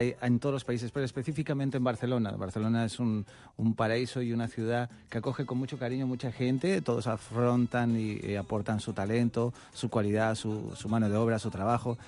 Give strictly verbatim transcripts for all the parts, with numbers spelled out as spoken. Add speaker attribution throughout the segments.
Speaker 1: en todos los países, pero específicamente en Barcelona. Barcelona es un, un paraíso y una ciudad que acoge con mucho cariño mucha gente, todos afrontan y, y aportan su talento, su cualidad, su, su mano de obra, su trabajo.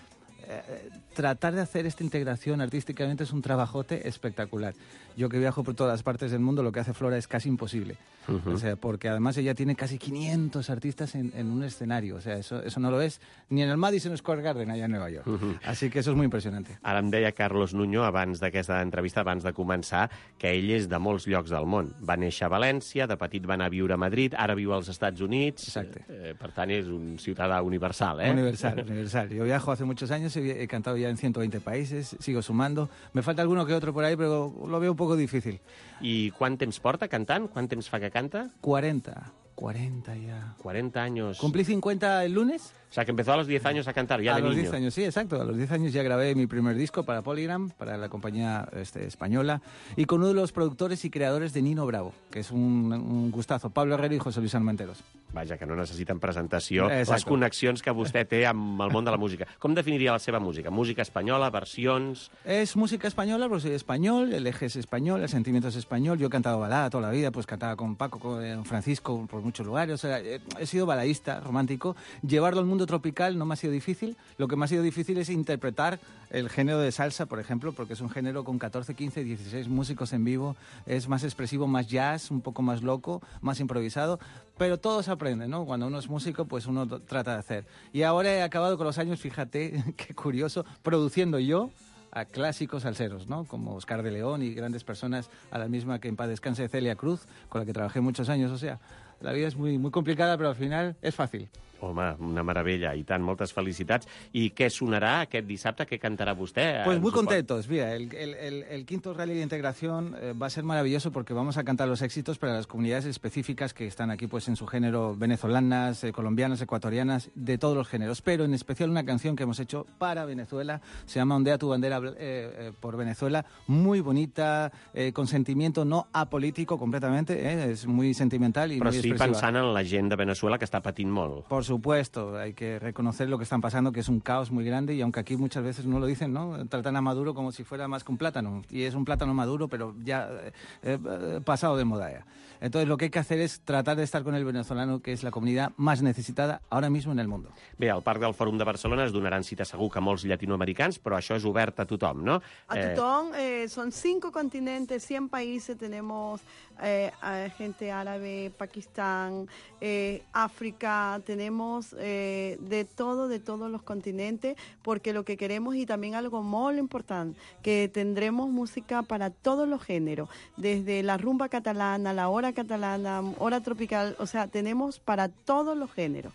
Speaker 1: Eh, tratar de hacer esta integración artísticamente es un trabajote espectacular. Yo que viajo por todas partes del mundo, lo que hace Flora es casi imposible. Uh-huh. O sea, porque además ella tiene casi quinientos artistas en, en un escenario. O sea, eso, eso no lo es ni en el Madison Square Garden, allà en Nova York. Uh-huh. Así que eso es muy impresionante.
Speaker 2: Ara em deia Carlos Nuño, abans d'aquesta entrevista, abans de començar, que ell és de molts llocs del món. Va néixer a València, de petit va anar a viure a Madrid, ara viu als Estats Units.
Speaker 1: Exacte.
Speaker 2: Eh, per tant, és un ciutadà universal, ¿eh?
Speaker 1: Universal, universal. Yo viajo hace muchos años, he, he cantado ya en ciento veinte países, sigo sumando. Me falta alguno que otro por ahí, pero lo veo un poco difícil.
Speaker 2: I quant temps porta cantant? Quant temps fa que canta?
Speaker 1: cuarenta. cuarenta ya.
Speaker 2: cuarenta años.
Speaker 1: ¿Cumplí cincuenta el lunes?
Speaker 2: O sea, que empezó a los diez años a cantar, ya
Speaker 1: a
Speaker 2: de niño.
Speaker 1: A los diez años, sí, exacto. A los diez años ya grabé mi primer disco para Polygram, para la compañía este, española, y con uno de los productores y creadores de Nino Bravo, que es un, un gustazo, Pablo Herrero y José Luis Armenteros.
Speaker 2: Vaja, que no necessiten presentació.
Speaker 1: Exacto.
Speaker 2: Les connexions que vostè té amb el món de la música. Com definiria la seva música? Música espanyola, versions...
Speaker 1: Es música española, porque soy español, el eje es español, el sentimiento es español. Yo he cantado balada toda la vida, pues cantaba con Paco, con Francisco, por muchos lugares. O sea, he sido baladista, romántico. Llevarlo al mundo tropical no me ha sido difícil. Lo que me ha sido difícil es interpretar el género de salsa, por ejemplo, porque es un género con catorce, quince, dieciséis músicos en vivo. Es más expresivo, más jazz, un poco más loco, más improvisado. Pero todo se aprende, ¿no? Cuando uno es músico, pues uno trata de hacer. Y ahora he acabado con los años, fíjate, qué curioso, produciendo yo a clásicos salseros, ¿no? Como Oscar de León y grandes personas, a la misma que en paz descanse Celia Cruz, con la que trabajé muchos años. O sea, la vida es muy, muy complicada, pero al final es fácil.
Speaker 2: Home, una meravella, i tant, moltes felicitats. I què sonarà aquest dissabte? Què cantarà vostè?
Speaker 1: Pues muy contentos. Mira, el, el, el, el quinto Rally de Integración eh, va a ser maravilloso porque vamos a cantar los éxitos para las comunidades específicas que están aquí pues en su género, venezolanas, eh, colombianas, ecuatorianas, de todos los géneros. Pero en especial una canción que hemos hecho para Venezuela, se llama Ondea tu bandera eh, eh, por Venezuela, muy bonita, eh, con sentimiento no apolítico completamente, eh, es muy sentimental y
Speaker 2: Però
Speaker 1: muy
Speaker 2: sí
Speaker 1: expresiva.
Speaker 2: Pensant en la gent de Venezuela que està patint molt.
Speaker 1: Por supuesto, hay que reconocer lo que están pasando, que es un caos muy grande, y aunque aquí muchas veces no lo dicen, ¿no? Tratan a Maduro como si fuera más que un plátano, y es un plátano maduro, pero ya eh, eh, pasado de moda ya. Entonces lo que hay que hacer es tratar de estar con el venezolano, que es la comunidad más necesitada ahora mismo en el mundo.
Speaker 2: Bé, al Parc del Fòrum de Barcelona es donaran cita segur que molts llatinoamericans, però això és obert a tothom, no?
Speaker 3: A tothom, eh, son cinco continentes, cien países, tenemos eh, gente árabe, Pakistán, eh, África, tenemos eh, de todo, de todos los continentes, porque lo que queremos, y también algo muy importante, que tendremos música para todos los géneros, desde la rumba catalana, la hora catalana, hora tropical, o sea, tenemos para todos los géneros.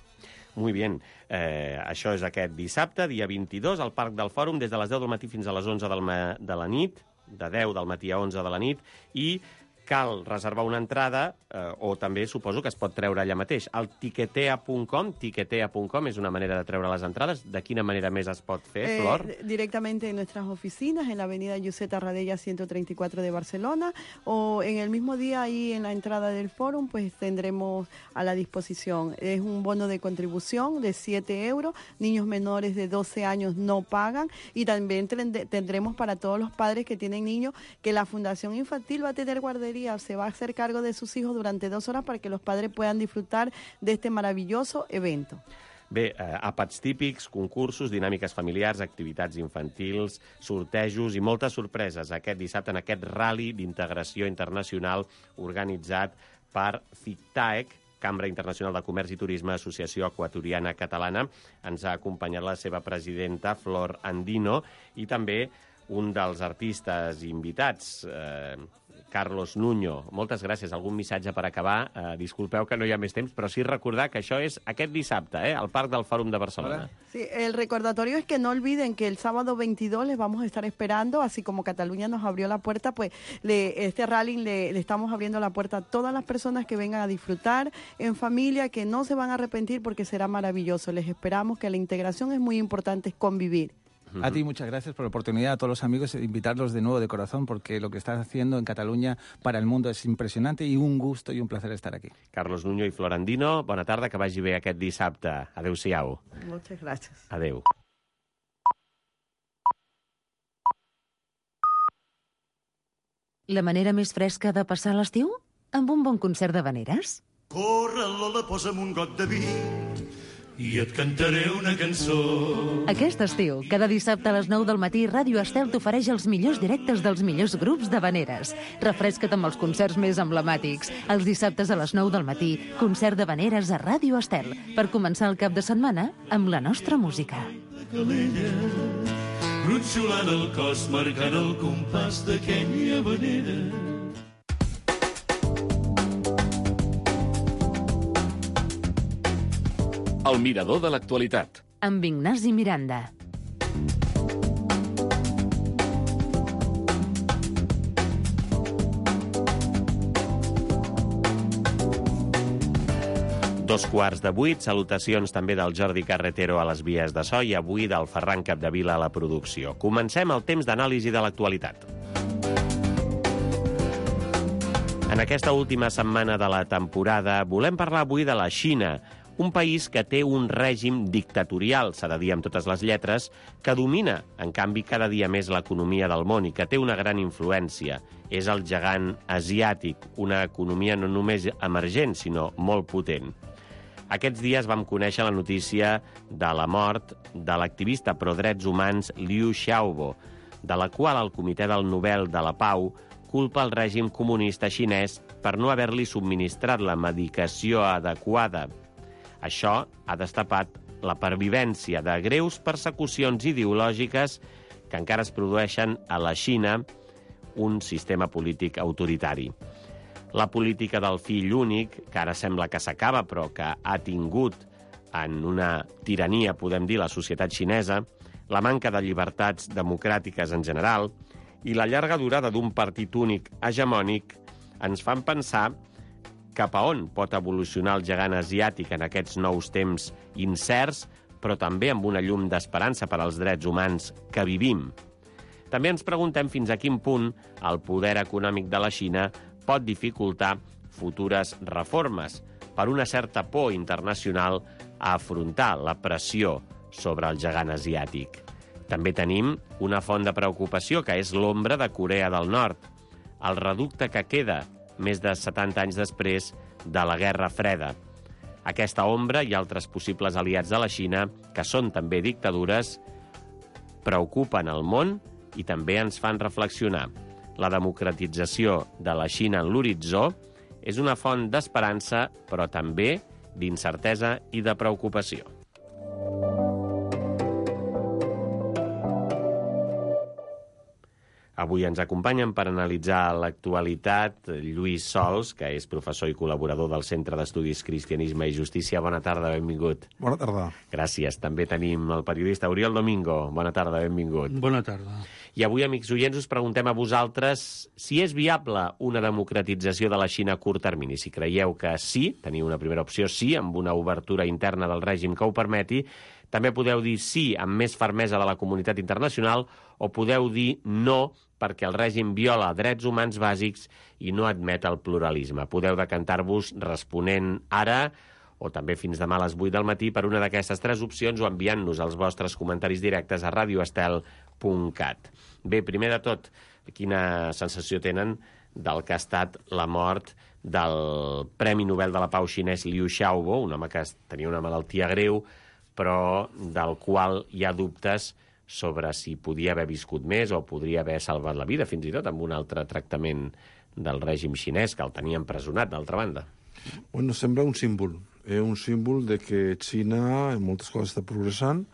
Speaker 2: Muy bien. Eh, això és aquest dissabte, dia vint-i-dos, al Parc del Fòrum, des de les deu del matí fins a les onze del ma de la nit, de deu del matí a onze de la nit, i cal reservar una entrada, eh, o també suposo que es pot treure allà mateix. Al tiquetea punt com, tiquetea punt com és una manera de treure les entrades. De quina manera més es pot fer,
Speaker 3: eh,
Speaker 2: Flor?
Speaker 3: Directamente en nuestras oficinas, en la avenida Giuseppe Radella ciento treinta y cuatro de Barcelona, o en el mismo día ahí en la entrada del fórum, pues tendremos a la disposición. Es un bono de contribución de siete euros, niños menores de doce años no pagan, y también tendremos para todos los padres que tienen niños, que la Fundación Infantil va a tener guardería, se va a hacer cargo de sus hijos durante dos horas para que los padres puedan disfrutar de este maravilloso evento.
Speaker 2: Bé, eh, àpats típics, concursos, dinàmiques familiars, activitats infantils, sortejos i moltes sorpreses aquest dissabte en aquest rally d'integració internacional organitzat per FICTAEC, Cambra Internacional de Comerç i Turisme, Associació Equatoriana Catalana. Ens ha acompanyat la seva presidenta, Flor Andino, i també un dels artistes invitats, eh, Carlos Nuño. Moltes gràcies. Algun missatge per acabar? Eh, disculpeu que no hi ha més temps, però sí recordar que això és aquest dissabte, eh, al Parc del Fòrum de Barcelona.
Speaker 3: Sí, el recordatorio es que no olviden que el sábado veintidós les vamos a estar esperando, así como Cataluña nos abrió la puerta, pues le, este rally le, le estamos abriendo la puerta a todas las personas que vengan a disfrutar en familia, que no se van a arrepentir porque será maravilloso. Les esperamos, que la integración es muy importante, es convivir.
Speaker 1: A ti muchas gracias por la oportunidad, a todos los amigos, de invitarlos de nuevo de corazón, porque lo que estás haciendo en Cataluña para el mundo es impresionante, y un gusto y un placer estar aquí.
Speaker 2: Carlos Nuño i Flor Andino, bona tarda, que vagi bé aquest dissabte. Adéu-siau.
Speaker 3: Muchas gracias.
Speaker 2: Adéu.
Speaker 4: La manera més fresca de passar l'estiu? Amb un bon concert d'havaneres.
Speaker 5: Corre, Lola, posa'm un got de vi i et cantaré una cançó.
Speaker 4: Aquest estiu, cada dissabte a les nou del matí, Ràdio Estel t'ofereix els millors directes dels millors grups d'havaneres. Refresca't amb els concerts més emblemàtics. Els dissabtes a les nou del matí, concert d'havaneres a Ràdio Estel, per començar el cap de setmana amb la nostra música.
Speaker 5: Calella, gronxolant el cos, marcant el compàs d'aquella havanera.
Speaker 6: El mirador de l'actualitat.
Speaker 4: Amb Ignasi Miranda.
Speaker 2: Dos quarts de vuit, salutacions també del Jordi Carretero a les vies de so i avui del Ferran Capdevila a la producció. Comencem el temps d'anàlisi de l'actualitat. En aquesta última setmana de la temporada volem parlar avui de la Xina, un país que té un règim dictatorial, s'ha de dir amb totes les lletres, que domina, en canvi, cada dia més l'economia del món i que té una gran influència. És el gegant asiàtic, una economia no només emergent, sinó molt potent. Aquests dies vam conèixer la notícia de la mort de l'activista pro-drets humans Liu Xiaobo, de la qual el Comitè del Nobel de la Pau culpa el règim comunista xinès per no haver-li subministrat la medicació adequada. Això ha destapat la pervivència de greus persecucions ideològiques que encara es produeixen a la Xina, un sistema polític autoritari. La política del fill únic, que ara sembla que s'acaba, però que ha tingut en una tirania, podem dir, la societat xinesa, la manca de llibertats democràtiques en general i la llarga durada d'un partit únic hegemònic ens fan pensar cap a on pot evolucionar el gegant asiàtic en aquests nous temps incerts, però també amb una llum d'esperança per als drets humans que vivim. També ens preguntem fins a quin punt el poder econòmic de la Xina pot dificultar futures reformes per una certa por internacional a afrontar la pressió sobre el gegant asiàtic. També tenim una font de preocupació, que és l'ombra de Corea del Nord, el reducte que queda més de setanta anys després de la Guerra Freda. Aquesta ombra i altres possibles aliats de la Xina, que són també dictadures, preocupen el món i també ens fan reflexionar. La democratització de la Xina en l'horitzó és una font d'esperança, però també d'incertesa i de preocupació. Avui ens acompanyen per analitzar l'actualitat Lluís Sols, que és professor i col·laborador del Centre d'Estudis Cristianisme i Justícia. Bona tarda, benvingut.
Speaker 7: Bona tarda.
Speaker 2: Gràcies. També tenim el periodista Oriol Domingo. Bona tarda, benvingut.
Speaker 7: Bona tarda.
Speaker 2: I avui, amics oients, us preguntem a vosaltres si és viable una democratització de la Xina a curt termini. Si creieu que sí, teniu una primera opció sí, amb una obertura interna del règim que ho permeti. També podeu dir sí amb més fermesa de la comunitat internacional o podeu dir no perquè el règim viola drets humans bàsics i no admet el pluralisme. Podeu decantar-vos responent ara o també fins demà a les vuit del matí per una d'aquestes tres opcions o enviant-nos els vostres comentaris directes a radio estel punt cat. Bé, primer de tot, quina sensació tenen del que ha estat la mort del Premi Nobel de la Pau xinès Liu Xiaobo, un home que tenia una malaltia greu, però del qual hi ha dubtes sobre si podia haver viscut més o podria haver salvat la vida, fins i tot amb un altre tractament del règim xinès, que el tenia empresonat, d'altra banda.
Speaker 7: Bueno, sembla un símbol. És un símbol de que Xina en moltes coses està progressant,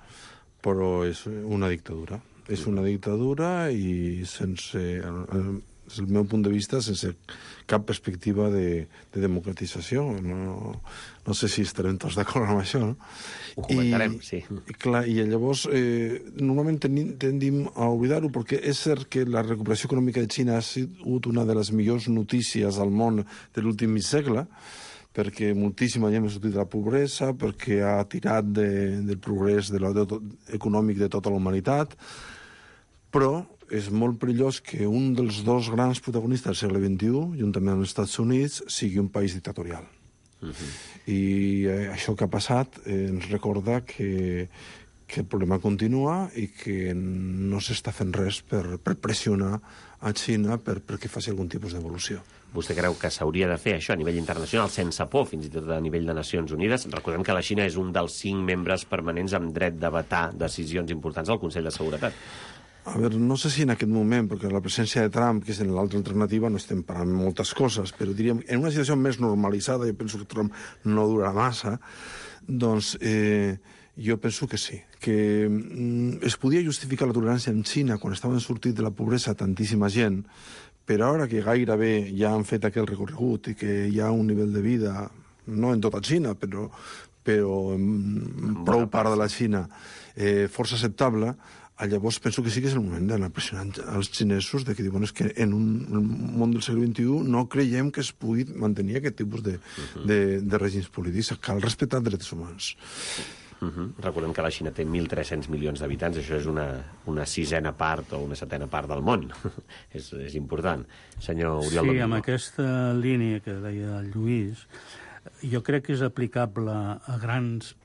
Speaker 7: però és una dictadura. És una dictadura i sense, des del meu punt de vista, sense cap perspectiva de, de democratització. No, no sé si estarem tots d'acord amb això, no?
Speaker 2: Ho comentarem,
Speaker 7: I,
Speaker 2: sí.
Speaker 7: I, clar, i llavors, eh, normalment tenim, tendim a oblidar-ho, perquè és cert que la recuperació econòmica de Xina ha sigut una de les millors notícies al món de l'últim mig segle, perquè moltíssima gent ha sortit de la pobresa, perquè ha tirat de, del progrés de la, de tot, econòmic de tota la humanitat, però és molt perillós que un dels dos grans protagonistes del segle vint-i-u, juntament amb els Estats Units, sigui un país dictatorial. Uh-huh. I eh, això que ha passat eh, ens recorda que, que el problema continua i que no s'està fent res per, per pressionar a Xina per, perquè faci algun tipus d'evolució.
Speaker 2: Vostè creu que s'hauria de fer això a nivell internacional, sense por, fins i tot a nivell de Nacions Unides? Recordem que la Xina és un dels cinc membres permanents amb dret de vetar decisions importants al Consell de Seguretat.
Speaker 7: A veure, no sé si en aquest moment, perquè la presència de Trump, que és en l'altra alternativa, no estem parlant moltes coses, però diríem, en una situació més normalitzada, jo penso que Trump no durarà massa, doncs eh, jo penso que sí, que mm, es podia justificar la tolerància en Xina quan estaven sortint de la pobresa tantíssima gent, però ara que gairebé ja han fet aquell recorregut i que hi ha un nivell de vida, no en tota Xina, però, però en prou part de la Xina, eh, força acceptable, llavors penso que sí que és el moment d'anar pressionant als xinesos de que diuen que en un món del segle vint-i-u no creiem que es pugui mantenir aquest tipus de, de, de règims polítics. Cal respectar drets humans.
Speaker 2: Uh -huh. Recordem que la Xina té mil tres-cents milions d'habitants, això és una, una sisena part o una setena part del món. és, és important. Senyor Oriol
Speaker 8: Sí,
Speaker 2: Domingo.
Speaker 8: amb aquesta línia que deia el Lluís, jo crec que és aplicable a grans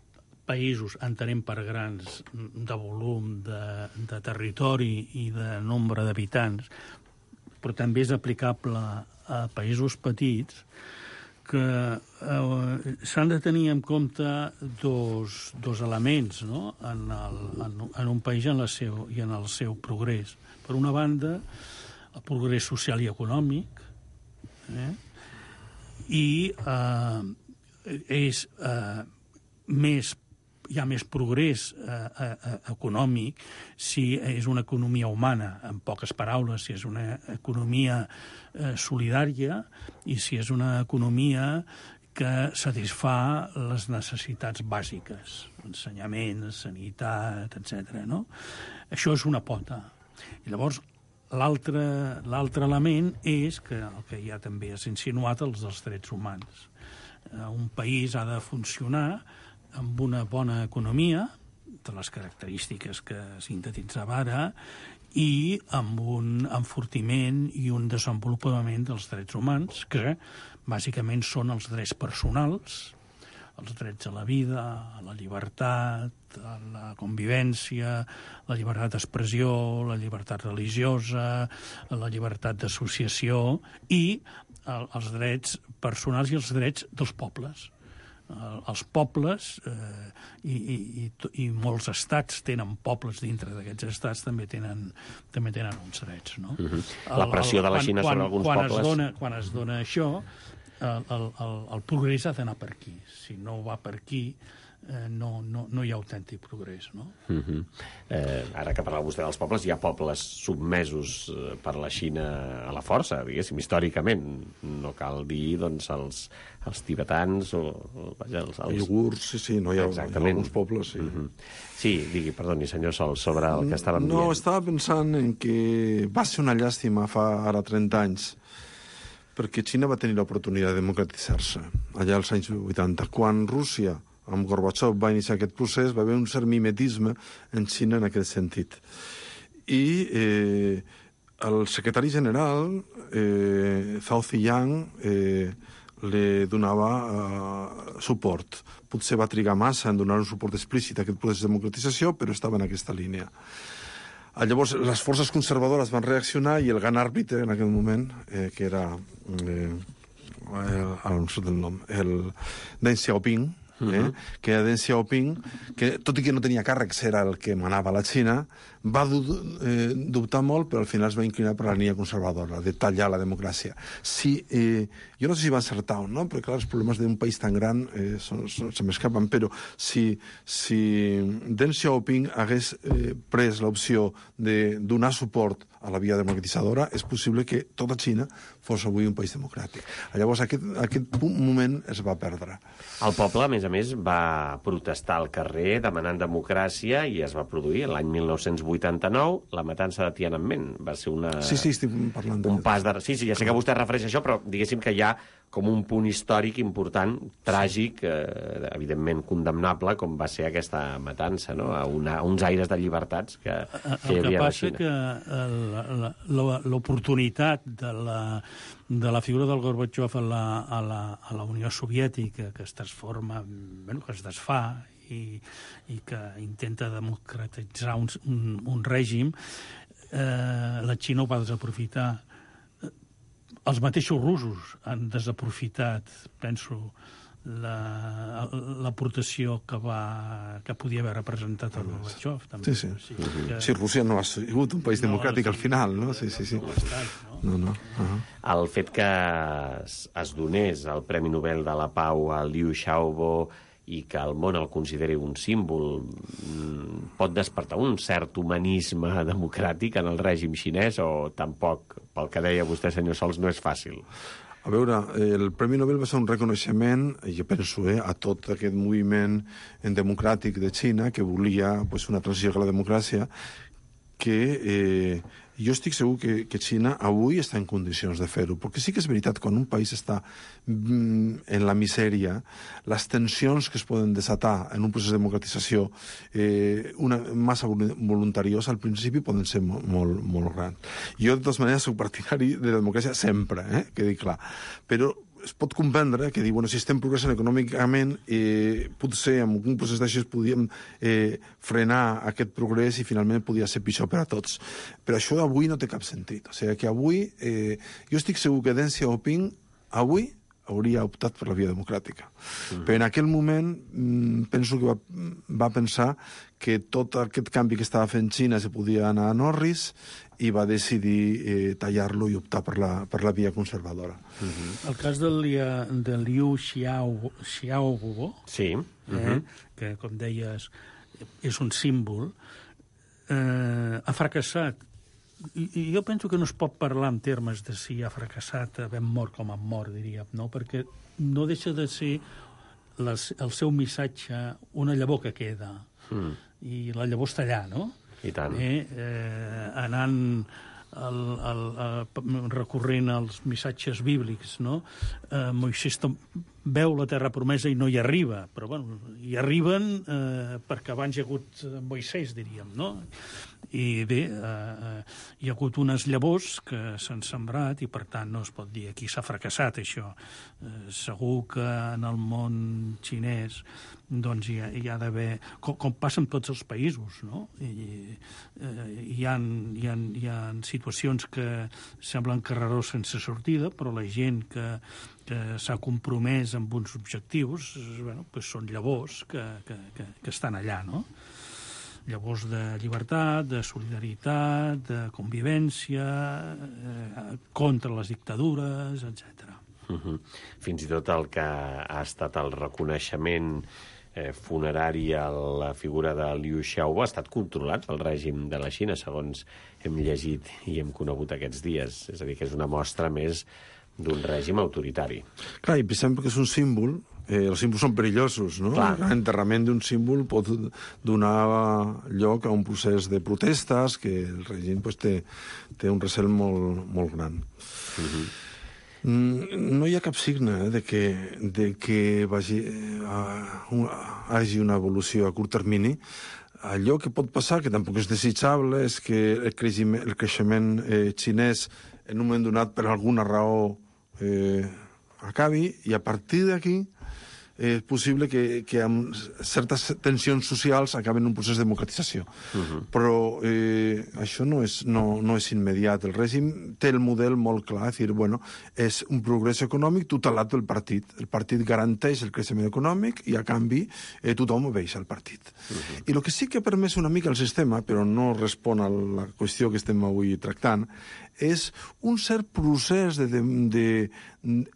Speaker 8: països, entenem per grans, de volum, de, de territori i de nombre d'habitants, però també és aplicable a països petits que eh, s'han de tenir en compte dos, dos elements, no? en, el, en, en un país i en, la seu, i en el seu progrés. Per una banda, el progrés social i econòmic, eh? i eh, és eh, més hi ha més progrés eh, eh, econòmic si és una economia humana, en poques paraules, si és una economia eh, solidària i si és una economia que satisfà les necessitats bàsiques, ensenyament, sanitat, etcètera. No? Això és una pota. I llavors, l'altre l'altre element és que el que ja també has insinuat, els dels drets humans. Eh, un país ha de funcionar amb una bona economia, de les característiques que sintetitzava ara, i amb un enfortiment i un desenvolupament dels drets humans, que bàsicament són els drets personals, els drets a la vida, a la llibertat, a la convivència, la llibertat d'expressió, la llibertat religiosa, la llibertat d'associació i els drets personals i els drets dels pobles. Els pobles eh, i, i, i molts estats tenen pobles dintre d'aquests estats, també tenen, també tenen uns drets. No?
Speaker 2: Uh-huh. La pressió de la Xina
Speaker 8: quan,
Speaker 2: sobre alguns
Speaker 8: quan
Speaker 2: pobles...
Speaker 8: Es dona, quan es dona això, el, el, el, el progrés ha d'anar per aquí. Si no va per aquí, eh, no, no, no hi ha autèntic progrés. No?
Speaker 2: Uh-huh. eh, ara que parlava vostè dels pobles, hi ha pobles submesos eh, per la Xina a la força, diguéssim, històricament. No cal dir, doncs, els, els tibetans o... o vaja, els, els...
Speaker 7: Uigurs, sí, sí, no hi ha, hi ha alguns pobles, sí.
Speaker 2: Uh-huh. Sí, digui, perdoni, senyor Sol, sobre el que estàvem
Speaker 7: no,
Speaker 2: dient.
Speaker 7: No, estava pensant en que va ser una llàstima fa ara trenta anys, perquè Xina va tenir l'oportunitat de democratitzar-se allà als anys vuitanta. Quan Rússia, amb Gorbachev, va iniciar aquest procés, va haver un cert mimetisme en Xina en aquest sentit. I eh, el secretari general, eh, Zhao Ziyang, eh, li donava eh, suport. Potser va trigar massa en donar un suport explícit a aquest procés de democratització, però estava en aquesta línia. Llavors, les forces conservadores van reaccionar i el gran àrbitre en aquell moment, eh, que era, eh, ara no sé el nom, el Deng Xiaoping, eh, uh-huh. que era Deng Xiaoping, que tot i que no tenia càrrecs, era el que manava la Xina, va du eh, dubtar molt, però al final es va inclinar per la línia conservadora, de tallar la democràcia. Si, eh, jo no sé si va encertar o no, perquè clar, els problemes d'un país tan gran eh, són, són, se m'escapen, però si, si Deng Xiaoping hagués eh, pres l'opció de donar suport a la via democratitzadora, és possible que tota Xina fos avui un país democràtic. Llavors, aquest, aquest moment es va perdre.
Speaker 2: El poble, a més a més, va protestar al carrer demanant democràcia i es va produir l'any mil nou-cents vuitanta-nou la matança de Tiananmen. Va ser una...
Speaker 7: Sí, sí, estic parlant de...
Speaker 2: Un pas de... Sí, sí, ja sé que vostè es refereix a això, però diguéssim que hi ha com un punt històric important, tràgic, eh, evidentment condemnable, com va ser aquesta matança, no? A, una, a uns aires de llibertats que, que hi havia a la Xina.
Speaker 8: El que passa que l'oportunitat de la, de la figura del Gorbachev a la, a la, a la Unió Soviètica, que es transforma, bueno, que es desfà i, i que intenta democratitzar un, un, un règim, eh, la Xina ho va desaprofitar. Els mateixos russos han desaprofitat, penso, l'aportació que va que podia haver representat el Gorbachev.
Speaker 7: Sí, sí. Sí, que... sí, Rússia no ha sigut un país no, democràtic sí, al final, no? Sí, sí, sí. No, no. Uh-huh.
Speaker 2: El fet que es, es donés el Premi Nobel de la Pau a Liu Xiaobo i que el món el consideri un símbol pot despertar un cert humanisme democràtic en el règim xinès o tampoc, pel que deia vostè, senyor Sols, no és fàcil?
Speaker 7: A veure, el Premi Nobel va ser un reconeixement, jo penso, eh, a tot aquest moviment democràtic de Xina que volia pues, una transició a la democràcia, que eh, jo estic segur que, que Xina avui està en condicions de fer-ho, perquè sí que és veritat, quan un país està mm, en la misèria, les tensions que es poden desatar en un procés de democratització eh, una massa voluntariosa al principi poden ser molt, molt, molt grans. Jo, de totes maneres, soc partidari de la democràcia sempre, eh, quedi clar, però es pot comprendre que dir, bueno, si estem progressant econòmicament, eh, potser amb un procés d'això podíem eh, frenar aquest progrés i finalment podia ser pitjor per a tots. Però això d'avui no té cap sentit. O sigui que avui, eh, jo estic segur que Deng Xiaoping avui hauria optat per la via democràtica. Mm. Però en aquell moment mm, penso que va, va pensar que tot aquest canvi que estava fent Xina se podia anar a Norris i va decidir eh, tallar-lo i optar per la, per la via conservadora.
Speaker 8: Uh-huh. El cas del, de Liu Xiaobo, Xiaobo
Speaker 2: sí. uh-huh.
Speaker 8: eh, que, com deies, és un símbol, eh, ha fracassat. I, I jo penso que no es pot parlar en termes de si ha fracassat, havent mort com ha mort, diríem, no? Perquè no deixa de ser les, el seu missatge una llavor que queda. Mm. I la llavor està allà, no?
Speaker 2: I tant.
Speaker 8: Eh, eh, anant el, el, el, recorrent als missatges bíblics, no? Eh, Moisès veu la terra promesa i no hi arriba, però bueno, hi arriben eh, perquè abans hi ha hagut Moisès, diríem, no? I bé, eh, hi ha hagut unes llavors que s'han sembrat i per tant no es pot dir aquí s'ha fracassat això. Eh, segur que en el món xinès doncs hi ha, hi ha d'haver, com, com passa en tots els països, no? I, eh, hi, ha, hi, ha, hi ha situacions que semblen carreró sense sortida, però la gent que, que s'ha compromès amb uns objectius, bueno, pues són llavors que, que, que, que estan allà, no? Llavors de llibertat, de solidaritat, de convivència, eh, contra les dictadures, etcètera.
Speaker 2: Uh-huh. Fins i tot el que ha estat el reconeixement eh, funerari a la figura de Liu Xiaobo ha estat controlat pel règim de la Xina, segons hem llegit i hem conegut aquests dies. És a dir, que és una mostra més d'un règim autoritari.
Speaker 7: Clar, i pensem que és un símbol, eh, els símbols són perillosos, no? L'enterrament d'un símbol pot donar lloc a un procés de protestes que el règim pues, té, té un recel molt, molt gran. Uh-huh. No hi ha cap signe eh, de que, de que vagi, uh, un, hagi una evolució a curt termini. Allò que pot passar, que tampoc és desitjable, és que el creixement, el creixement eh, xinès en un moment donat per alguna raó eh, acabi, i a partir d'aquí és possible que, que amb certes tensions socials acaben un procés de democratització. Uh-huh. Però eh, això no és, no, no és immediat. El règim té el model molt clar, és dir, bueno, és un progrés econòmic tutelat pel partit. El partit garanteix el creixement econòmic i, a canvi, eh, tothom obeix al partit. Uh-huh. I el que sí que ha permès una mica el sistema, però no respon a la qüestió que estem avui tractant, és un cert procés de, de, de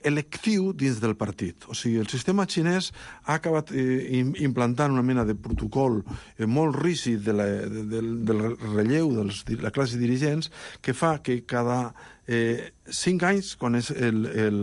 Speaker 7: electiu dins del partit. O sigui, el sistema xinès ha acabat eh, implantant una mena de protocol eh, molt rígid de la, de, de, del relleu de la classe dirigents que fa que cada eh, cinc anys, quan és el, el,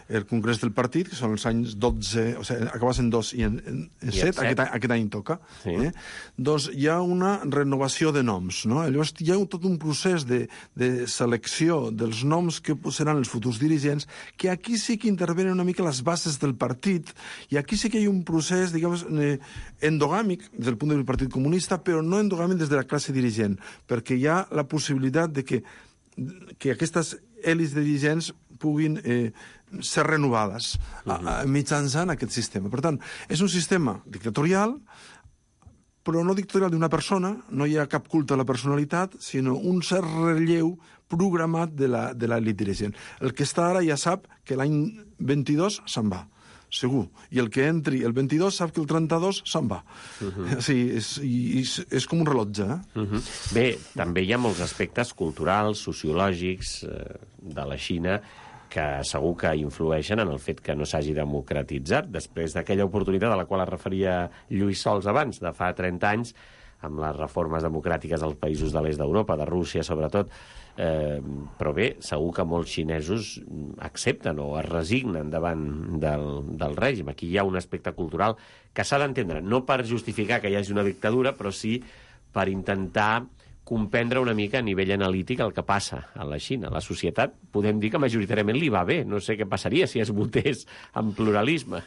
Speaker 7: el congrés del partit, que són els anys dotze, o sigui, acabes en dos i en, en, en set, aquest, aquest any toca, sí. eh? Doncs hi ha una renovació de noms, no? Llavors hi ha tot un procés de, de selecció dels noms que seran els futurs dirigents, que aquí sí que intervenen una mica les bases del partit, i aquí sí que hi ha un procés, diguem, eh, endogàmic des del punt de vista del Partit Comunista, però no endogàmic des de la classe dirigent, perquè hi ha la possibilitat de que que aquestes èlits dirigents puguin eh, ser renovades uh-huh. a, a, mitjançant aquest sistema. Per tant, és un sistema dictatorial però no dictatorial d'una persona, no hi ha cap culte a la personalitat, sinó un cert relleu programat de la, de l'elit dirigent. El que està ara ja sap que l'any vint-i-dos se'n va, segur. I el que entri el vint-i-dos sap que el trenta-dos se'n va. Uh -huh. Sí, és, és, és com un rellotge. Eh?
Speaker 2: Uh -huh. Bé, també hi ha molts aspectes culturals, sociològics eh, de la Xina que segur que influeixen en el fet que no s'hagi democratitzat després d'aquella oportunitat a la qual es referia Lluís Sols abans, de fa trenta anys, amb les reformes democràtiques als països de l'est d'Europa, de Rússia sobretot. Eh, però bé, segur que molts xinesos accepten o es resignen davant del, del règim. Aquí hi ha un aspecte cultural que s'ha d'entendre, no per justificar que hi hagi una dictadura, però sí per intentar comprendre una mica a nivell analític el que passa a la Xina. La societat, podem dir que majoritàriament li va bé. No sé què passaria si es votés en pluralisme.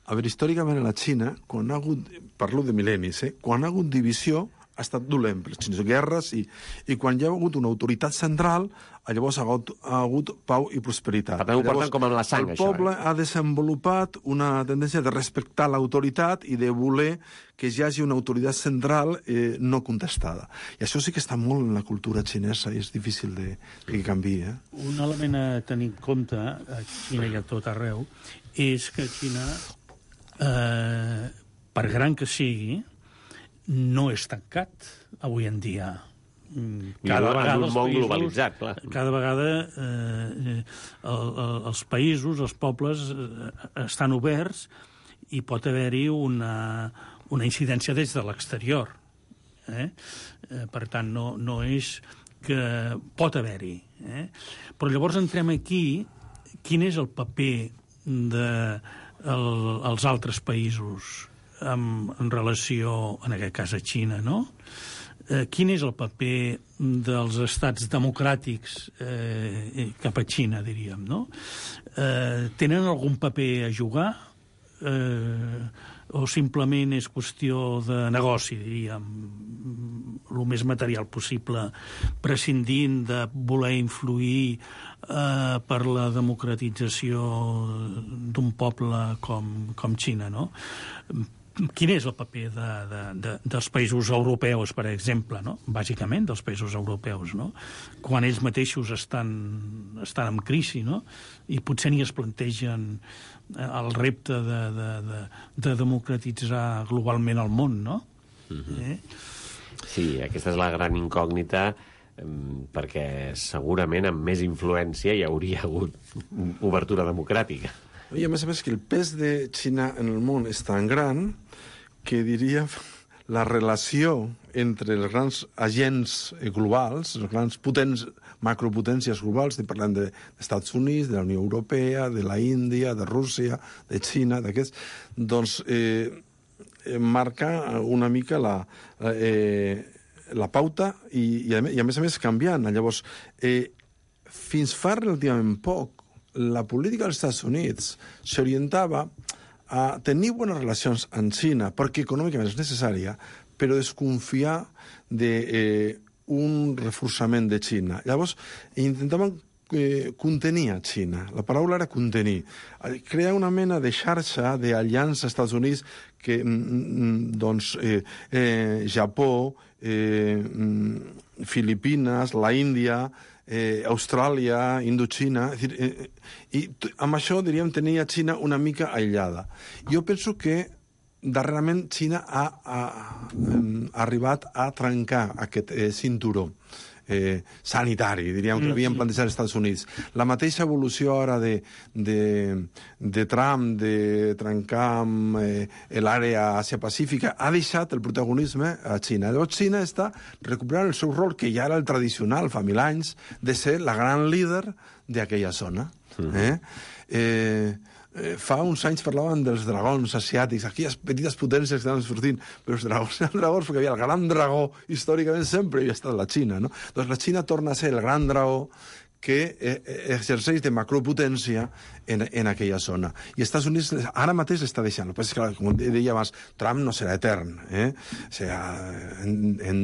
Speaker 7: A veure, històricament a la Xina, quan ha hagut, parlo de mil·lennis, eh? quan ha hagut divisió, ha estat dolent per les guerres, i, i quan hi ha hagut una autoritat central, llavors ha hagut, ha hagut pau i prosperitat.
Speaker 2: Per tant, ho porten
Speaker 7: llavors,
Speaker 2: com amb la sang,
Speaker 7: el
Speaker 2: això.
Speaker 7: El poble
Speaker 2: eh?
Speaker 7: ha desenvolupat una tendència de respectar l'autoritat i de voler que hi hagi una autoritat central eh, no contestada. I això sí que està molt en la cultura xinesa i és difícil de, que canviï. Eh?
Speaker 8: Un element a tenir en compte, a Xina i a tot arreu, és que Xina, eh, per gran que sigui, no és tancat avui en dia.
Speaker 2: Cada vegada en un món països, globalitzat, clar.
Speaker 8: Cada vegada eh, el, el, els països, els pobles eh, estan oberts i pot haver-hi una, una incidència des de l'exterior. Eh? Eh, per tant, no, no és que pot haver-hi. Eh? Però llavors entrem aquí, quin és el paper dels de altres països en, en relació, en aquest cas, a Xina, no? Eh, quin és el paper dels estats democràtics eh, cap a Xina, diríem, no? Eh, tenen algun paper a jugar? Eh, o simplement és qüestió de negoci, diríem, el més material possible, prescindint de voler influir eh, per la democratització d'un poble com, com Xina, no? Quin és el paper de, de, de, dels països europeus, per exemple, no? Bàsicament dels països europeus, no? Quan ells mateixos estan, estan en crisi, no? I potser ni es plantegen el repte de, de, de, de democratitzar globalment el món, no? Mm-hmm. eh?
Speaker 2: Sí, aquesta és la gran incògnita, perquè segurament amb més influència hi hauria hagut obertura democràtica.
Speaker 7: I a més a més que el pes de Xina en el món és tan gran que diria la relació entre els grans agents globals, els grans potents, macropotències globals, parlant dels Estats Units, de la Unió Europea, de la Índia, de Rússia, de Xina, d'aquests, doncs eh, marca una mica la, eh, la pauta i, i, a, i a més a més canviant. Llavors, eh, fins fa relativament poc, la política dels Estats Units s'orientava a tenir bones relacions amb Xina, perquè econòmicament és necessària, però desconfiar d'un eh, reforçament de Xina. Llavors, intentaven eh, contenir a Xina. La paraula era contenir. Crear una mena de xarxa d'aliança als Estats Units que, mm, doncs, eh, eh, Japó, eh, Filipines, la Índia, Eh, Austràlia, Indoxina, és dir, eh, i amb això, diríem, tenia Xina una mica aïllada. Jo penso que darrerament Xina ha, ha, ha arribat a trencar aquest eh, cinturó eh, sanitari, diríem, que l'havien plantejat als Estats Units. La mateixa evolució ara de, de, de Trump, de trencar amb eh, l'àrea Àsia-Pacífica, ha deixat el protagonisme a Xina. Llavors, Xina està recuperant el seu rol, que ja era el tradicional, fa mil anys, de ser la gran líder d'aquella zona. Eh? Eh, Eh, fa uns anys parlaven dels dragons asiàtics, aquelles petites potències que estaven sortint, però els dragons eren dragons perquè havia el gran dragó, històricament sempre havia estat la Xina, no? Doncs la Xina torna a ser el gran dragó que eh, exerceix de macropotència en, en aquella zona. I Estats Units ara mateix l'està deixant. Però és que, com deia abans, Trump no serà etern. Eh? O sigui, en, en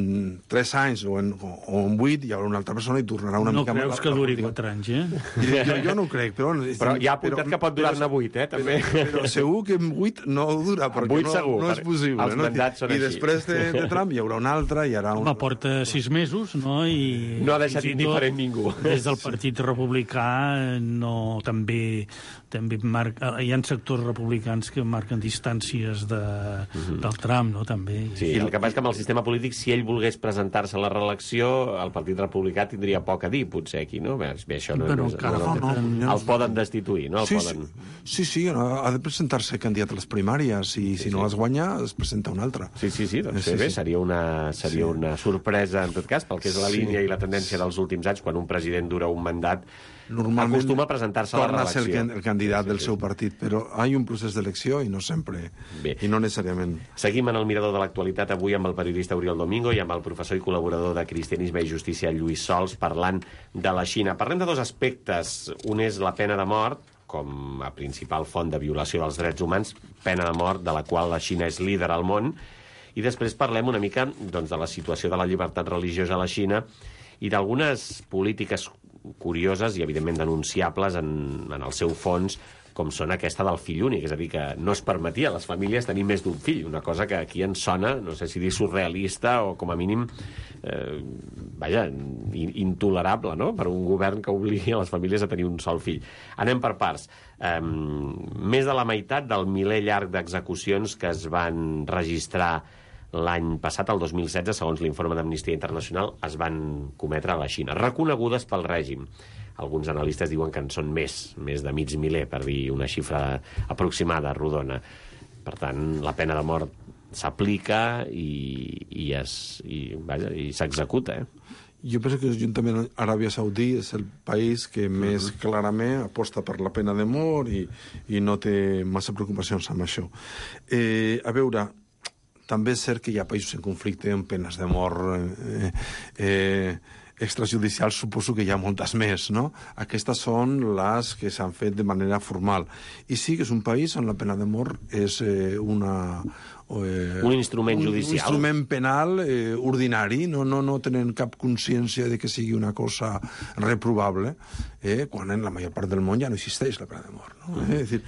Speaker 7: tres anys o en, o en vuit hi haurà una altra persona i tornarà una
Speaker 8: no
Speaker 7: mica...
Speaker 8: No creus que duri quatre anys, eh?
Speaker 7: Jo, jo no ho crec, però...
Speaker 2: Però hi ha apuntat però, que pot durar-ne vuit, eh, també.
Speaker 7: Però, però segur que en vuit no dura, perquè no,
Speaker 2: segur,
Speaker 7: no és possible.
Speaker 2: Els
Speaker 7: no?
Speaker 2: mandats són
Speaker 7: I
Speaker 2: així.
Speaker 7: després de, de Trump hi haurà un altre, hi haurà un...
Speaker 8: Home, porta sis mesos, no? I
Speaker 2: no ha deixat indiferent ningú.
Speaker 8: Des del Partit Republicà no, també, també marca, hi ha sectors republicans que marquen distàncies de, mm-hmm. del Trump, no? També.
Speaker 2: Sí, el que passa és que amb el sistema polític, si ell volgués presentar-se a la reelecció, el Partit Republicà tindria poc a dir, potser, aquí, no? Bé, això no,
Speaker 8: Però
Speaker 2: no,
Speaker 8: encara
Speaker 2: no, no, no, no, el poden destituir, no? El
Speaker 7: sí,
Speaker 2: poden...
Speaker 7: sí, sí, ha de presentar-se candidat a les primàries i si sí, no les guanya, es presenta un altre.
Speaker 2: Sí, sí, sí, doncs
Speaker 7: sí,
Speaker 2: bé,
Speaker 7: sí.
Speaker 2: seria, una, seria sí. una sorpresa, en tot cas, pel que és la línia sí. i la tendència dels últims anys, quan un president dura un mandat,
Speaker 7: normalment
Speaker 2: acostuma a presentar-se a la reelecció.
Speaker 7: Torna a ser el, el candidat
Speaker 2: sí, sí,
Speaker 7: del seu partit, però hi ha un procés d'elecció i no sempre, bé. I no necessàriament.
Speaker 2: Seguim en el mirador de l'actualitat avui amb el periodista Oriol Domingo i amb el professor i col·laborador de Cristianisme i Justícia Lluís Sols parlant de la Xina. Parlem de dos aspectes. Un és la pena de mort, com a principal font de violació dels drets humans, pena de mort de la qual la Xina és líder al món, i després parlem una mica doncs, de la situació de la llibertat religiosa a la Xina i d'algunes polítiques curioses i, evidentment, denunciables en, en el seu fons, com són aquesta del fill únic, és a dir, que no es permetia a les famílies tenir més d'un fill, una cosa que aquí ens sona, no sé si dir surrealista o, com a mínim, eh, vaja, intolerable, no?, per un govern que obligui a les famílies a tenir un sol fill. Anem per parts. Eh, més de la meitat del miler llarg d'execucions que es van registrar l'any passat, el dos mil setze, segons l'informe d'Amnistia Internacional, es van cometre a la Xina, reconegudes pel règim. Alguns analistes diuen que en són més, més de mig miler, per dir una xifra aproximada, rodona. Per tant, la pena de mort s'aplica i, i, es, i, vaja, i s'executa, eh?
Speaker 7: Jo penso que juntament amb Aràbia Saudí és el país que més uh-huh. clarament aposta per la pena de mort i, i no té massa preocupacions amb això. Eh, a veure, també és cert que hi ha països en conflicte amb penes de mort eh, eh, extrajudicials, suposo que hi ha moltes més, no? Aquestes són les que s'han fet de manera formal. I sí que és un país on la pena de mort és eh, una... Eh,
Speaker 2: un instrument
Speaker 7: un,
Speaker 2: judicial.
Speaker 7: Un instrument penal eh, ordinari, no, no, no tenen cap consciència de que sigui una cosa reprovable, eh, quan en la major part del món ja no existeix la pena de mort, no? Mm. Eh, és dir,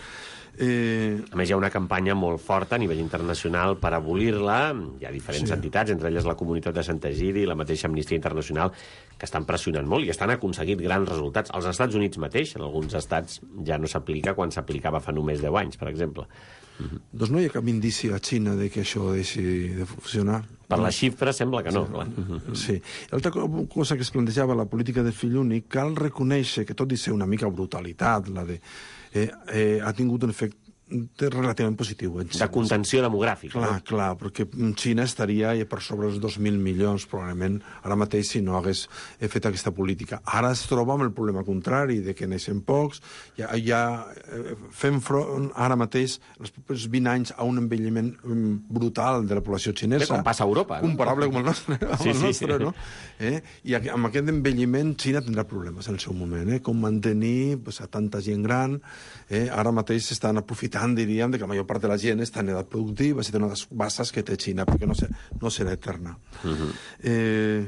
Speaker 2: Eh... A més, hi ha una campanya molt forta a nivell internacional per abolir-la. Hi ha diferents sí. entitats, entre elles la Comunitat de Sant Egidi i la mateixa Amnistia Internacional, que estan pressionant molt i estan aconseguint grans resultats. Als Estats Units mateix, en alguns estats, ja no s'aplica quan s'aplicava fa només deu anys, per exemple.
Speaker 7: Mm-hmm. Doncs no hi ha cap indici a Xina de que això deixi de funcionar.
Speaker 2: Per la xifra sembla que no.
Speaker 7: Sí.
Speaker 2: Clar. Mm-hmm.
Speaker 7: Sí. L'altra cosa que es plantejava, la política del fill únic, cal reconèixer que, tot i ser una mica brutalitat, la de... Eh, eh, ha tingut un efecte relativament positiu.
Speaker 2: De contenció demogràfica.
Speaker 7: Clar,
Speaker 2: no?
Speaker 7: clar, perquè Xina estaria per sobre els dos mil milions, probablement, ara mateix, si no hagués fet aquesta política. Ara es troba amb el problema contrari, de que neixen pocs, ja, ja fem front ara mateix, els propers vint anys, a un envelliment brutal de la població xinesa.
Speaker 2: Bé, com passa a Europa. No?
Speaker 7: Comparable com el nostre, amb
Speaker 2: sí,
Speaker 7: el nostre,
Speaker 2: sí, sí.
Speaker 7: no? Eh? I amb aquest envelliment, Xina tindrà problemes en el seu moment, eh? Com mantenir pues, a tanta gent gran. Eh? Ara mateix s'estan aprofitant, diríem, de que la major part de la gent està en edat productiva, és una de les bases que té Xina, perquè no, ser, no serà eterna. Uh-huh. eh,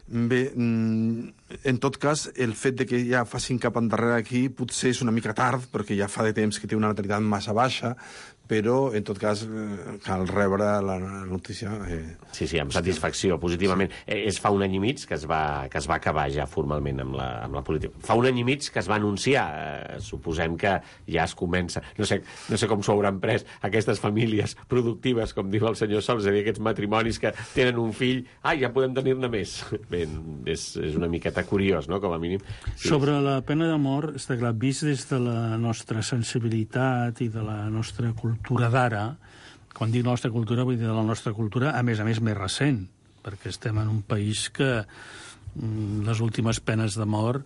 Speaker 7: bé, en tot cas, el fet de que ja facin cap endarrere aquí potser és una mica tard, perquè ja fa de temps que té una natalitat massa baixa, però, en tot cas, eh, cal rebre la notícia... Eh,
Speaker 2: sí, sí, amb satisfacció, positivament. Sí. Eh, és fa un any i mig que es va, que es va acabar ja formalment amb la, amb la política. Fa un any i mig que es va anunciar. Eh, suposem que ja es comença... No sé, no sé com s'ho hauran pres aquestes famílies productives, com diu el senyor Sols, és a dir, aquests matrimonis que tenen un fill, ah, ja podem tenir-ne més. Bé, és, és una miqueta curiós, no?, com a mínim. Sí.
Speaker 8: Sobre la pena de mort, està clar, vist des de la nostra sensibilitat i de la nostra cultura, cultura d'ara, quan dic la nostra cultura vull dir de la nostra cultura, a més a més més recent, perquè estem en un país que les últimes penes de mort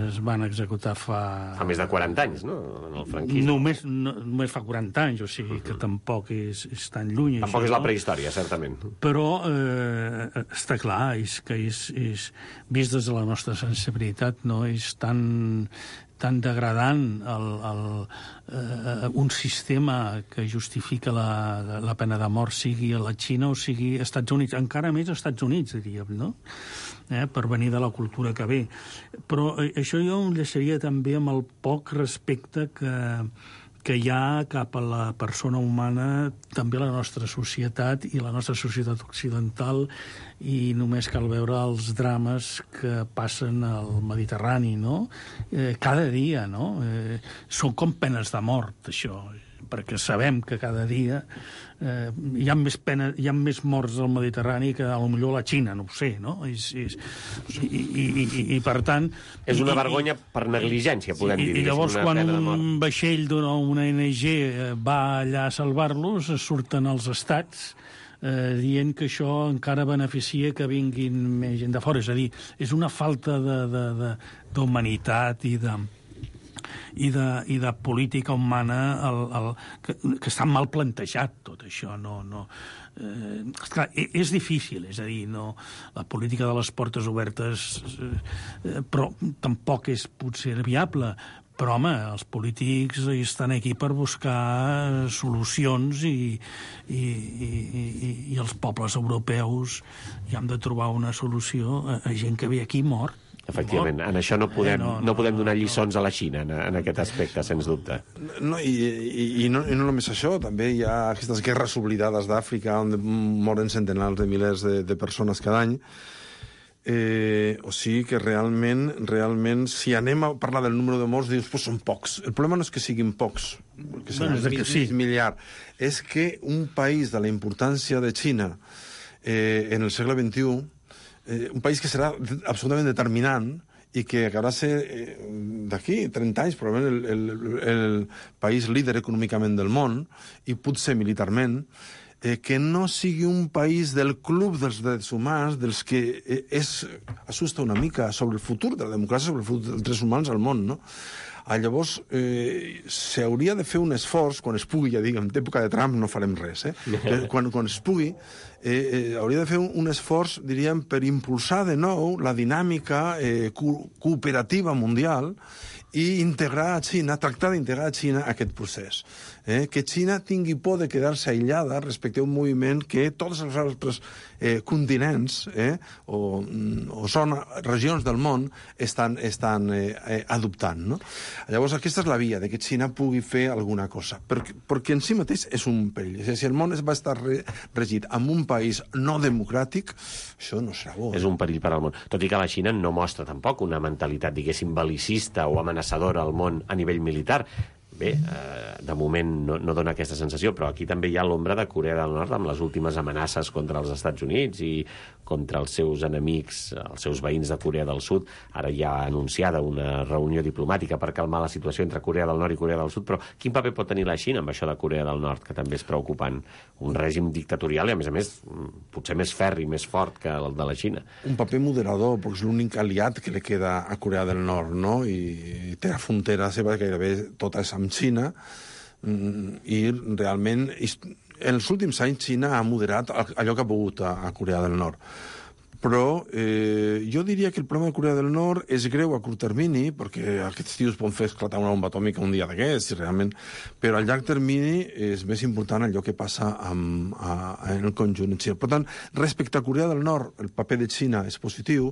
Speaker 8: es van executar fa...
Speaker 2: Fa més de quaranta anys, no?, en el franquisme.
Speaker 8: Només, no, només fa quaranta anys, o sigui que tampoc és, és tan lluny.
Speaker 2: Tampoc
Speaker 8: això,
Speaker 2: és la
Speaker 8: no?
Speaker 2: prehistòria, certament.
Speaker 8: Però eh, està clar, és que és, és, vist des de la nostra sensibilitat, no? És tan, tan degradant el, el, eh, un sistema que justifica la, la pena de mort, sigui a la Xina o sigui als Estats Units, encara més als Estats Units, diríem, no?, eh, per venir de la cultura que ve. Però eh, això jo em deixaria també amb el poc respecte que, que hi ha cap a la persona humana, també a la nostra societat i la nostra societat occidental, i només cal veure els drames que passen al Mediterrani, no?, eh, cada dia, no? Eh, són com penes de mort, això, perquè sabem que cada dia eh, hi ha més pena, hi ha més morts al Mediterrani que potser a la Xina, no ho sé, no? És, és, i, i, i, I per tant...
Speaker 2: És una
Speaker 8: i,
Speaker 2: vergonya per negligència, podem
Speaker 8: i,
Speaker 2: dir.
Speaker 8: I llavors quan un vaixell d'una O N G va allà a salvar-los, surten els estats eh, dient que això encara beneficia que vinguin més gent de fora. És a dir, és una falta d'humanitat i de... I de, i de política humana el, el, que, que està mal plantejat tot això. No, no, eh, esclar, és difícil, és a dir, no, la política de les portes obertes eh, però tampoc és potser viable. Però, home, els polítics estan aquí per buscar solucions i, i, i, i els pobles europeus hi han de trobar una solució a, a gent que ve aquí mort.
Speaker 2: Efectivament, en això no podem, eh, no, no, no podem donar lliçons no. a la Xina, en, en aquest aspecte, sens dubte.
Speaker 7: No, i, i, i, no, i no només això, també hi ha aquestes guerres oblidades d'Àfrica on moren centenars de milers de, de persones cada any. Eh, o sigui que realment, realment, si anem a parlar del número de morts, dius, pues són pocs. El problema no és que siguin pocs, que
Speaker 8: bueno, és que sí.
Speaker 7: miliard. És que un país de la importància de Xina eh, en el segle vint-i-u, Eh, un país que serà absolutament determinant i que acabarà ser eh, d'aquí trenta anys probablement el, el, el país líder econòmicament del món i potser militarment, eh, que no sigui un país del club dels drets humans, dels que eh, és, assusta una mica sobre el futur de la democràcia, sobre el futur dels drets humans al món, no? Ah, llavors, eh, s'hauria de fer un esforç, quan es pugui, ja dic, en època de Trump no farem res, eh? quan, quan es pugui, eh, eh, hauria de fer un, un esforç, diríem, per impulsar de nou la dinàmica eh, co cooperativa mundial i integrar a Xina, tractar d'integrar a Xina a aquest procés. Eh? Que Xina tingui por de quedar-se aïllada respecte a un moviment que tots els altres eh, continents eh, o, o són regions del món estan, estan eh, eh, adoptant. No? Llavors, aquesta és la via, de que Xina pugui fer alguna cosa, perquè, perquè en si mateix és un perill. És a dir, si el món es va estar re, regit amb un país no democràtic, això no serà bo.
Speaker 2: És un perill per al món. Tot i que la Xina no mostra tampoc una mentalitat, diguéssim, belicista o amenaçadora al món a nivell militar. Bé, eh, de moment no, no dona aquesta sensació, però aquí també hi ha l'ombra de Corea del Nord amb les últimes amenaces contra els Estats Units i contra els seus enemics, els seus veïns de Corea del Sud. Ara ja ha anunciada una reunió diplomàtica per calmar la situació entre Corea del Nord i Corea del Sud, però quin paper pot tenir la Xina amb això de Corea del Nord, que també és preocupant? Un règim dictatorial i, a més a més, potser més ferri, més fort que el de la Xina.
Speaker 7: Un paper moderador, perquè és l'únic aliat que li queda a Corea del Nord, no? I té la frontera seva gairebé tota és amb Xina, i realment en els últims anys Xina ha moderat allò que ha pogut a, a Corea del Nord. Però eh, jo diria que el problema de Corea del Nord és greu a curt termini, perquè aquests tios poden fer esclatar una bomba atòmica un dia d'aquests, realment, però a llarg termini és més important allò que passa amb, a, en el conjunt de Xina. Per tant, respecte a Corea del Nord, el paper de Xina és positiu,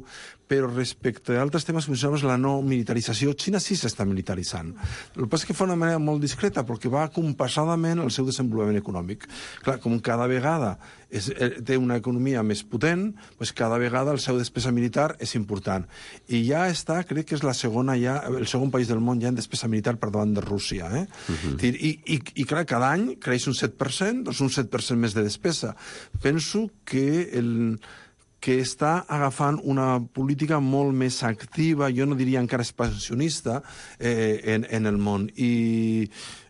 Speaker 7: però respecte a altres temes que mencionaves, la no militarització, Xina sí s'està militaritzant. El que passa és que fa d'una manera molt discreta, perquè va compassadament al seu desenvolupament econòmic. Clar, com cada vegada és, té una economia més potent, doncs cada vegada el seu despesa militar és important. I ja està, crec que és la segona ja, el segon país del món ja en despesa militar per davant de Rússia. Eh? Uh-huh. I, i, I clar, cada any creix un set per cent, doncs un set per cent més de despesa. Penso que el que està agafant una política molt més activa, jo no diria encara expansionista, eh, en, en el món. I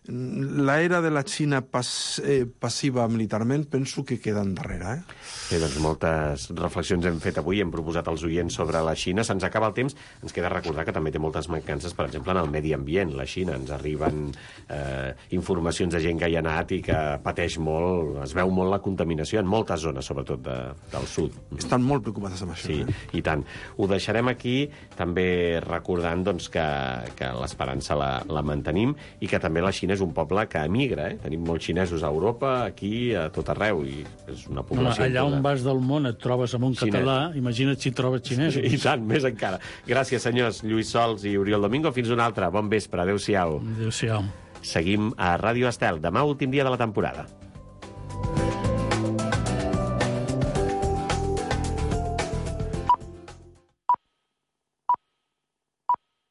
Speaker 7: l'era de la Xina pas, eh, passiva militarment penso que queda endarrere. Eh?
Speaker 2: Bé, doncs moltes reflexions hem fet avui, hem proposat als oients sobre la Xina. Se'ns acaba el temps, ens queda recordar que també té moltes mancances, per exemple, en el medi ambient. La Xina, ens arriben eh, informacions de gent que hi ha anat i que pateix molt, es veu molt la contaminació en moltes zones, sobretot de, del sud.
Speaker 7: Estan molt preocupades amb això.
Speaker 2: Sí,
Speaker 7: eh?
Speaker 2: i tant. Ho deixarem aquí, també recordant doncs, que, que l'esperança la, la mantenim i que també la Xina és un poble que emigra. Eh? Tenim molts xinesos a Europa, aquí, a tot arreu, i és una població...
Speaker 8: Home, allà on vas del món et trobes amb un
Speaker 2: Xinès.
Speaker 8: català, imagina't si trobes xinesos.
Speaker 2: I tant, més encara. Gràcies, senyors Lluís Sols i Oriol Domingo. Fins una altra. Bon vespre. Adéu-siau.
Speaker 8: Adéu-siau.
Speaker 2: Seguim a Ràdio Estel. Demà, últim dia de la temporada.